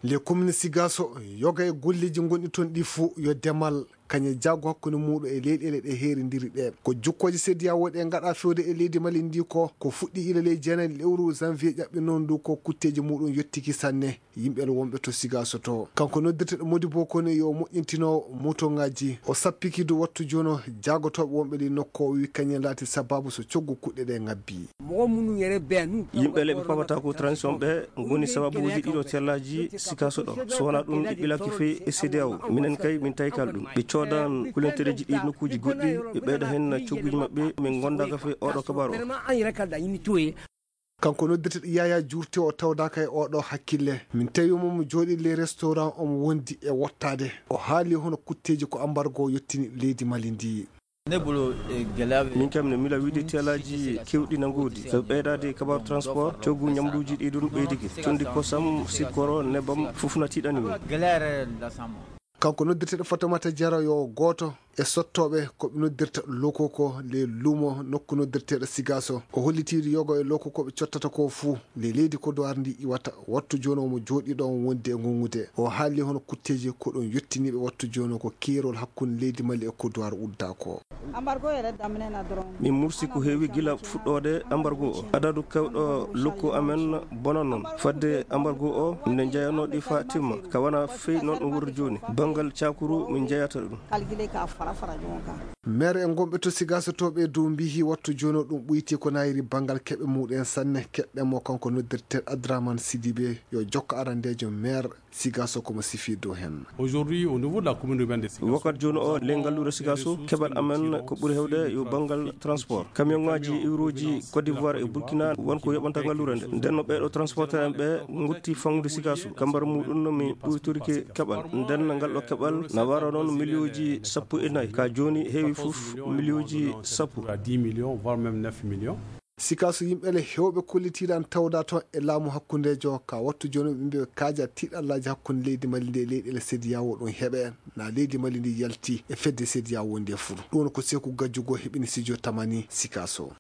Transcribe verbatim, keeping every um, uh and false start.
Les communes Sigaso, yoga e golleeji ngonɗi toon ɗi fuu yo demal kañe jaago hakkunde muuɗum e leyɗeele ɗe heerindiri ɗe. Ko jukkooje sediya woɗe ngaɗa fewde e leydi Mali ndi ko, ko fuɗɗi ila ley jeenayi lewru janvier ƴaɓɓi noon ndu ko kutteeji muuɗum yottiki sanne. Yimɓe wonɓe to Sigaso to. Kanko noddirteɗo Modibo Kone yo moƴƴintino motoŋaaji. O sappiki du wattu jono jaagotooɓe wonɓe ɗi nokko o wi kañen laati sababu so coggu kuɗɗe ɗe ngabbi. Yimɓe leɓe pamata ko transition ɓe ngoni sababuji ɗiɗo tellaji Sigaso ɗo. So wona ɗum ɓe ɓilaki fey e C D A O. Minen kay min tawi kala ɗum. Ɓe coodan kulentereji ɗi nokkuji goɗɗi, ɓe ɓeyda hen cogguji maɓɓe, min gondaka fey oɗo kabaru o. Kanko noddirteɗo Yaya Juurte o tawdaka e oɗo hakkille. Min tawi mo mo jooɗi les restaurant omo wondi e wottaade. O haali hono kutteeji ko ambargo yottini leydi Mali ndi. Min kam ne mila wiide teelaji kewɗi na ngoodi. Sabu ɓeydaade kabaru transport, coggu ñamluuji ɗi ɗum ɓeydike. Condi kosam, sikkoro, nebam, fof na tiiɗani min. Kanko noddirteɗo Fatamata Jara yo gooto e sottooɓe ko ɓe noddirta loko ko le lumo nokku noddirteɗo Sigaso. O hollitiiɗo yogo e loko ko ɓe cottata ko fuu le leydi Kodowar ndi iwata. Wattu jooni omo jooɗi ɗo on wondi e ngongude. O haali hono kutteeji ko ɗum yottiniiɓe wattu jooni ko keerol hakkunde leydi Mali e Kodowar udda ko. Min mursi ko heewi gila fuɗɗoode ambargo o. Adadu kewɗo lokku amen bonan noon. Fadde ambargo o, minen njeyanoo ɗi faa timma. Ka wona fey noon ɗum wurri jooni. Banngal cakuru min njeyata ɗum. Maire en gonɓe to Sigaso to ɓe dow mbihi wattu jooni o ɗum ɓoyti ko nayri banngal keɓe muɗen sanne. Keɓɓe mo kanko noddirteeɗo Adraman Sidibe yo jokko arandeejo maire Sigaso ko mo sifi dow hen. Aujourd'hui, au niveau de la commune urbaine de Sigasso, wakat jooni o le ngalluure Sigaso keɓal amen ko ɓuri hewde yo banngal transport. Camion ngaji iwruji Côte d'Ivoire e Burkina won ko yoɓanta ngalluure nde. Nden no ɓeeɗo transporteur en ɓe ngotti fangude Sigaso. Kambar muɗum no mi ɓuytorike keɓal. Nden ngal ɗo keɓal na wara noon miliyonji sappo e nayi. Ka jooni heewi fof miliyonji sappo. À dix millions, voire même neuf millions. Sigaso yimɓe le hewɓe kollitiiɗan tawda toon e laamu hakkundeejo ka wattu jooni ɓe mbiya kaaja tiiɗallaaji hakkunde leydi Mali ndi e leyɗeele sediyawo ɗum heɓe na leydi Mali ndi yalti e fedde sediyawo nde fuu. Ɗum ko Seeku Gajjugo heɓini sijo tamani Sigaso.